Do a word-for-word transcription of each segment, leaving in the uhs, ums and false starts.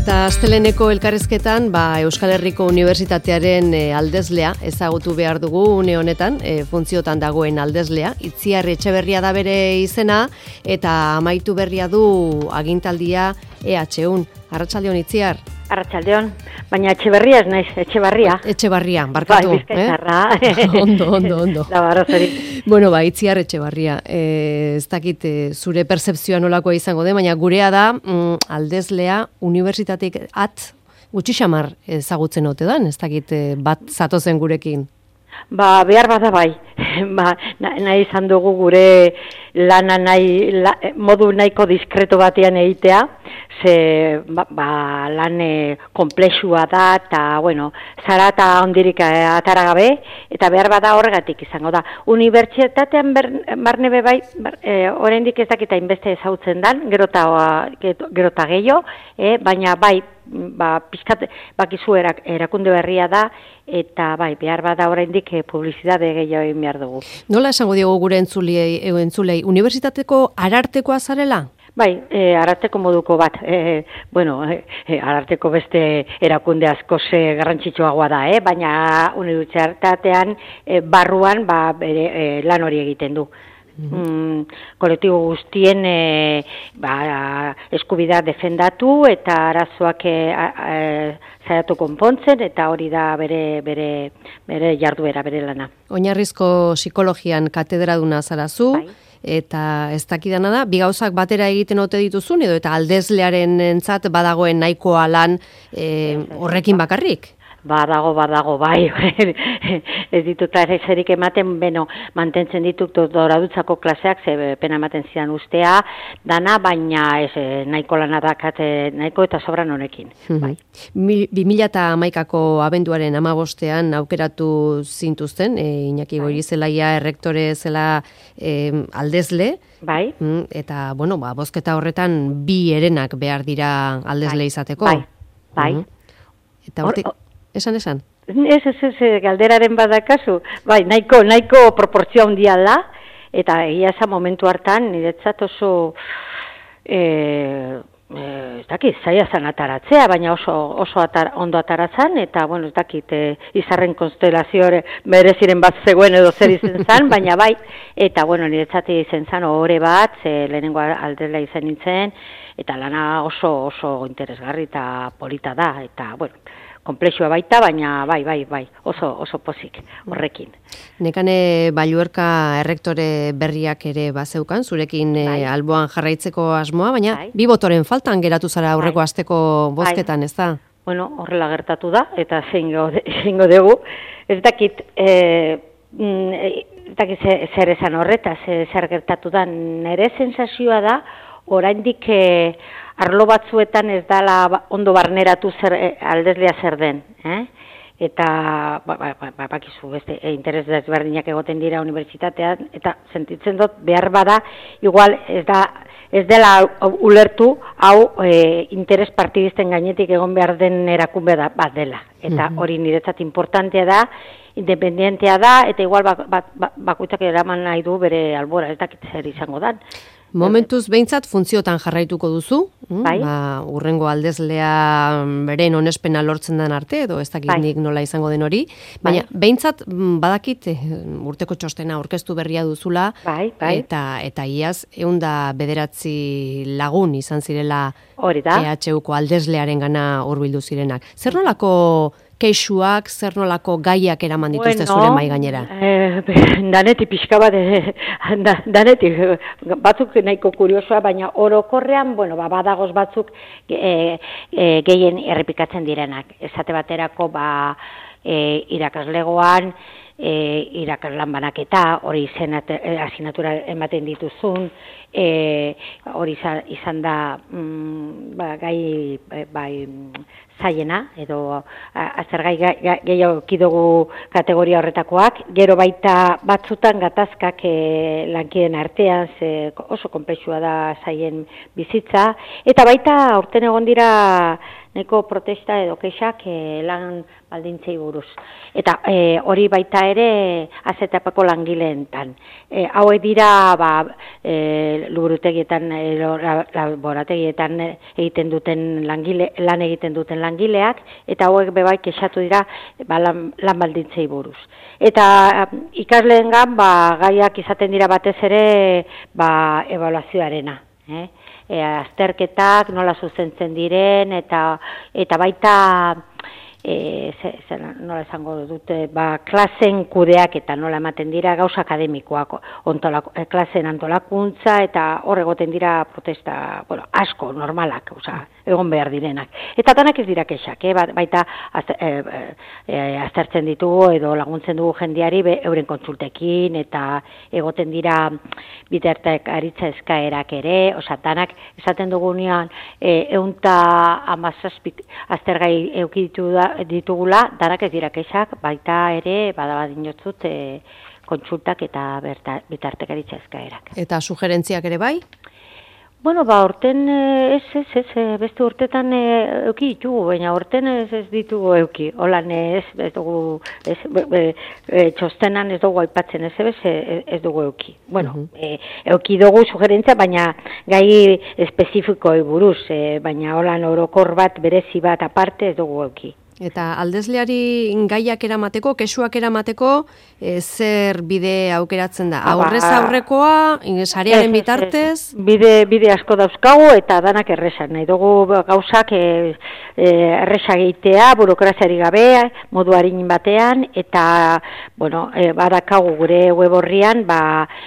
Eta asteleneko elkarrizketan ba, Euskal Herriko Unibertsitatearen e, aldezlea ezagutu behar dugu une honetan, e, funtziotan dagoen aldezlea. Itziar Etxeberria da bere izena eta amaitu berria du agintaldia E H U. Arratsaldeon Itziar. Arratsaldeon, baina Etxeberria ez naiz, Etxebarria. Etxebarria, barkatu. Bai, bizkaitarra. Eh? ondo, ondo, ondo. Da barrozeri. Bueno, ba, Itziar Etxebarria, e, ez dakit e, zure pertzepzioa nolakoa izango den, baina gurea da mm, aldezlea unibertsitateik at gutxi xamar ezagutzen ote dan, ez dakit e, bat zatozen gurekin. Ba, behar bada bai, ba, nahi izan dugu gure lana nahi, la, modu nahiko diskreto batean egitea, ze ba, ba, lan konplexua da, eta, bueno, zarata ondirik atara gabe, eta behar bada horregatik izango da. Unibertsitatean barne be bai, bar, e, oraindik ez dakita inbeste ezagutzen dan, gerota, gerota gehiago, e, baina bai, ba, pizkat, bakizu erak, erakunde berria da, eta bai, behar bada oraindik e, publizitate gehiago egin behar dugu. Nola esango diogu gure entzulei, entzulei, unibertsitateko arartekoa zarela? Bai, e, ararteko moduko bat, e, bueno, e, ararteko beste erakunde asko ze garrantzitsuagoa da, eh? Baina unibertsitatean e, barruan ba, bere, e, lan hori egiten du. Mm, kolektibo guztien e, ba, eskubidea defendatu eta arazoak e, e, zaiatu konpontzen, eta hori da bere, bere, bere jarduera, bere lana. Oinarrizko psikologian katedraduna zarazu, bai. Eta ez dakidana da, bi gauzak batera egiten ote dituzun, edo eta aldezlearen entzat badagoen nahikoa lan e, horrekin bakarrik? Badago, badago, bai, ez ditut ezerik ematen, beno, mantentzen ditut doradutzako klaseak, ze pena ematen zidan ustea, dana, baina ez, nahiko lana dakat, nahiko eta sobran honekin. Bai. bi mila hamaikako abenduaren hamabostean aukeratu zintuzten, e, Iñaki Goirizelaia errektore zela e, aldezle, bai. Eta, bueno, ba, bozketa horretan bi herenak behar dira aldezle bai. izateko. Bai, bai. Uh-huh. Eta hortik... Esan, esan? Ez, ez, ez, galderaren badakazu. Bai, nahiko, nahiko proportzioa handia da, eta egia esan momentu hartan, niretzat oso, e, e, ez dakit, zaila zan ataratzea, baina oso, oso atar, ondo ataratzen, eta, bueno, ez dakit, e, izarren konstelazio mereziren bat zegoen edo zer izen zan, baina bai, eta, bueno, niretzat izen zan, ohore bat, ze lehenengo aldela izan nintzen, eta lana oso, oso interesgarri eta polita da, eta, bueno, konplexua baita, baina bai, bai, bai, oso, oso pozik horrekin. Nekane Balluerka errektore berriak ere bazeukan, zurekin bai. Alboan jarraitzeko asmoa, baina bai. Bi botoren faltan geratu zara aurreko bai. Asteko bozketan, bai. Ez da? Bueno, horrela gertatu da, eta zeingo dugu. Ez dakit, e, ez dakit zer esan horretaz, zer gertatu da, nire sensazioa da, oraindik e, arlo batzuetan ez dala ondo barneratu zer, e, aldezlea zer den, eh? Eta ba, ba, ba, bakizu beste e, interes desberdinak egoten dira unibertsitatean, eta sentitzen dut behar bada igual ez da ez dela ulertu hau e, interes partidisten gainetik egon behar den erakunde da bat dela, eta hori niretzat importantea da, independentea da, eta igual bak, bak, bak, bakoitzak eraman nahi du bere albora, ez dakit zer izango dan. Momentuz behintzat funtziotan jarraituko duzu, bai. Ba, urrengo aldezlea beren onespena lortzen den arte, edo ez dakit bai. Nik nola izango den hori, baina bai. Behintzat badakit urteko txostena aurkeztu berria duzula, bai, bai. eta eta iaz ehun eta bederatzi lagun izan zirela hori da. E H Uko aldezlearen gana hurbildu zirenak. Zer nolako kexuak, zer nolako gaiak eraman dituzte bueno, zure mai gainera? Eh, danetik pixka bat, eh, danetik, batzuk nahiko kuriosoa, baina orokorrean, bueno, ba, badagoz batzuk eh, eh, gehien errepikatzen direnak. Esate baterako, ba, eh, irakaslegoan, e, irakaslan banaketa, hori asignatura ematen dituzun, e, hori izan, izan da mm, ba, gai bai, zaiena, edo azergai gehiago kidugu kategoria horretakoak, gero baita batzutan gatazkak e, lankiden artean, ze oso konplexua da zaien bizitza, eta baita aurten egon dira nahiko protesta edo kexak e, lan baldintzei buruz. Eta e, hori baita ere azetapako langileentan. E, hauek dira ba, e, luburutegietan, e, laborategietan egiten duten langile, lan egiten duten langileak, eta hauek bebai kexatu dira ba, lan, lan baldintzei buruz. Eta ikasleengan ba, gaiak izaten dira batez ere ba, ebaluazioarena. Eh? E, azterketak nola zuzentzen diren eta eta baita e, ze, ze, nola esango dute ba, klasen kudeak eta nola ematen dira gauza akademikoak ontolako, e, klasen antolakuntza eta hor egoten dira protesta bueno, asko normalak, oza, egon behar direnak. Eta danak ez dira kexak, eh? baita az, e, e, aztertzen ditugu edo laguntzen dugu jendeari be, euren kontsultekin eta egoten dira bitartek aritza eskaerak ere, oza, danak esaten dugunean e, eunta amazazpik aztergai eukiditu da, ditugula, danak ez dira kexak, baita ere badabadinotzut e, kontsultak eta berta, bitartek aritza eskaerak. Eta sugerentziak ere bai? Bueno, ba, orten ez, ez, ez, beste urtetan euki ditugu, baina orten ez, ez ditugu euki. Holan ez, ez dugu, ez, be, be, e, txostenan ez dugu aipatzen ez, ez, ez dugu euki. Bueno, uh-huh. e, euki dugu sugerentzia, baina gai espezifikoei buruz, e, baina holan orokor bat, berezi bat aparte ez dugu euki. Eta aldezleari gaiak eramateko, kesuak eramateko, e, zer bide aukeratzen da? Aurrez aurrekoa, sarearen bitartez? Bide, bide asko dauzkagu eta danak erresan. Nahi dugu gauzak e, e, erresa egitea, burokraziari gabe, modu harin batean, eta bueno, e, badakagu gure web horrian ba,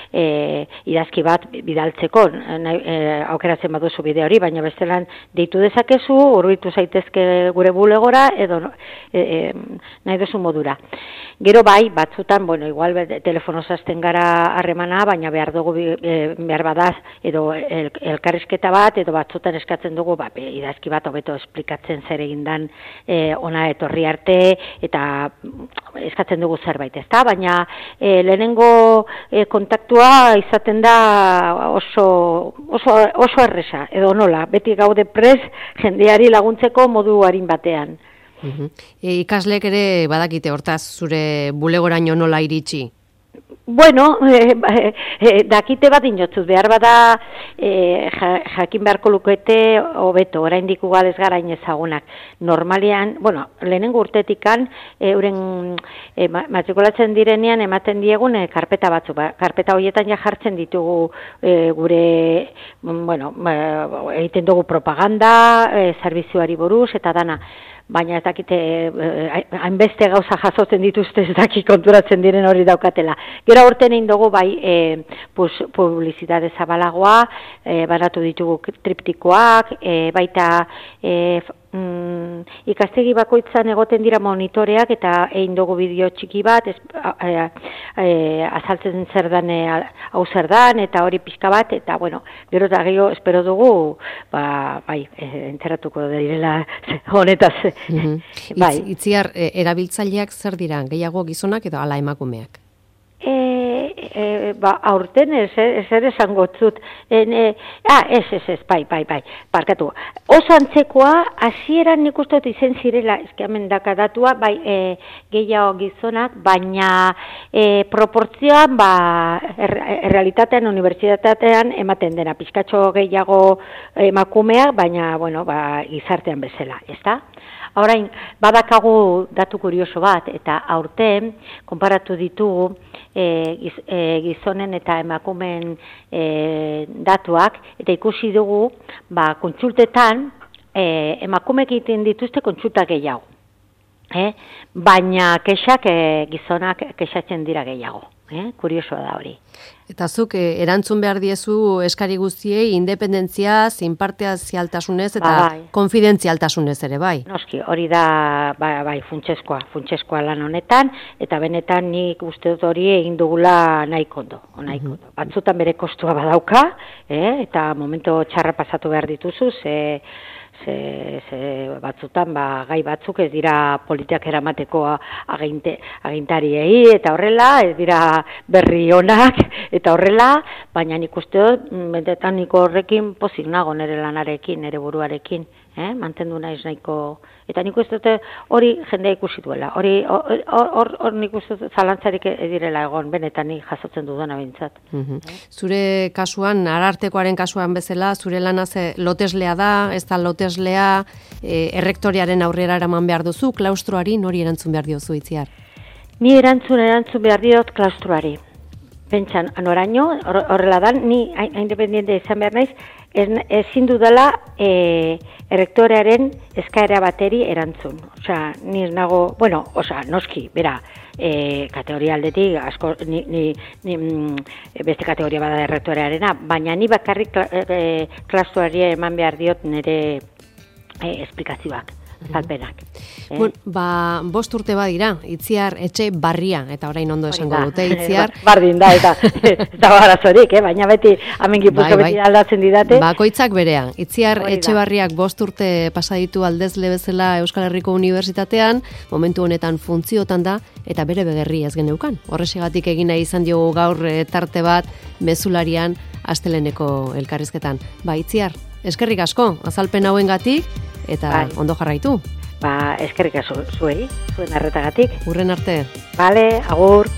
e, idazki bat bidaltzeko, e, aukeratzen baduzu bide hori, baina bestelan deitu dezakezu, hurbildu zaitezke gure bulegora, edo E, e, nahi duzu modura. Gero bai, batzutan, bueno, igual telefonoz hasten gara harremana, baina behar dugu, e, behar badaz, edo el, elkarrizketa bat, edo batzutan eskatzen dugu, ba, idazki bat hobeto esplikatzen zer egindan e, ona etorri arte, eta eskatzen dugu zerbait, ezta? Baina e, lehenengo e, kontaktua izaten da oso, oso, oso erresa, edo nola, beti gaude prez jendeari laguntzeko modu harin batean. Uh-huh. E, ikaslek ere badakite hortaz zure bulegoraino nola iritsi? Bueno, e, e, dakite bat inotzuz, behar bada e, jakin beharko lukete hobeto, oraindik ugadez gara inezagunak. Normalean, bueno, lehenengo urtetikan, euren e, matrikulatzen direnean ematen diegun e, karpeta batzu, ba, karpeta horietan ja jartzen ditugu e, gure, bueno, e, egiten dugu propaganda, e, zerbitzuari buruz, eta dana. Baina ez dakite, hainbeste eh, gauza jasotzen dituzte ez daki konturatzen diren hori daukatela. Gero aurten egin dugu bai eh, publizitate zabalagoa, eh, baratu ditugu triptikoak, eh, baita eh, mm, ikastegi bakoitzan egoten dira monitoreak eta egin dugu bideo txiki bat, ez, eh, eh, azaltzen zer dan, hau zer dan, eta hori pixka bat, eta bueno, gero eta gehiago espero dugu, ba, bai, eh, enteratuko direla honetaz. Mm-hmm. Bai. Itz, itziar, e, erabiltzaileak zer dira, gehiago gizonak edo ala emakumeak? E, e, ba, aurten ez, ez ere zangotzut. E, ah, ez, ez, ez, bai, bai, bai, parkatu. Oso antzekoa, hasieran nik uste dut izen zirela, ezkeamen dakadatua, bai, e, gehiago gizonak, baina e, proportzioan, ba, er, errealitatean, unibertsitatean ematen dena, pizkatxo gehiago emakumeak, baina, bueno, ba, gizartean bezala, ezta? Orain, badakagu datu kurioso bat, eta aurten, konparatu ditugu, e, giz, e, gizonen eta emakumeen e, datuak, eta ikusi dugu, ba, kontsultetan, e, emakumeek egiten dituzte kontsulta gehiago. Eh? Baina kexak e, gizonak kexatzen dira gehiago. Eh? Kuriosoa da hori. Eta zuk eh, erantzun behar diezu eskari guztiei independentzia, zinpartezialtasunez eta ba, bai. Konfidentzialtasunez ere bai. Noski, hori da ba, bai, funtseskoa, funtseskoa lan honetan, eta benetan nik uste dut hori egin dugula nahiko ondo. Nahiko ondo. Batzutan bere kostua badauka, eh? Eta momento txarra pasatu behar dituzu, ze Ze, ze batzutan ba, gai batzuk ez dira politiak eramateko aginte, agintariei eta horrela, ez dira berri onak eta horrela, baina nik uste dut, bentetan niko horrekin pozik nago nire lanarekin, nire buruarekin, eh? Mantendu naiz nahiko, eta nik uste dute hori jendea ikusi duela, hori hor hor nik uste dut zalantzarik direla egon, benetan nik jasotzen dudana behintzat. Mm-hmm. eh? Zure kasuan, Arartekoaren kasuan bezala, zure lana ze loteslea da, ez da loteslea, e, errektoriaren aurrera eraman behar duzu, klaustroari nori erantzun behar diozu Itziar? Ni erantzun erantzun behar diot klaustroari. Pentsan, anoraino, horrela dan, ni independiente izan behar naiz, ezin dudala e, errektorearen eskaera bateri erantzun. Osea, ni ez nago, bueno, osea, noski, bera, e, kategoria aldetik, asko, ni, ni, ni, beste kategoria bada errektorearena, baina ni bakarrik e, klaustroari eman behar diot nire e, esplikazioak. Zalpenak. Eh? Bueno, ba, bost urte badira, Itziar etxe barria, eta orain ondo esango dute, Itziar. Bardin da, eta eta barazorik, eh? Baina beti, hemen Gipuzkoa bai, bai. Beti aldatzen didate. Bakoitzak berea. Itziar etxe barriak bost urte pasaditu aldezle bezala Euskal Herriko Unibertsitatean, momentu honetan funtziotan da, eta bere begerri ez geneukan. Horrexegatik egin nahi izan diogu gaur tarte bat, mezularian, asteleneko elkarrizketan. Ba, Itziar, eskerrik asko, azalpen hauengatik, eta bai. Ondo jarraitu. Ba, eskerrik asko zuei, zuen arretagatik. Urren arte. Bale, agur.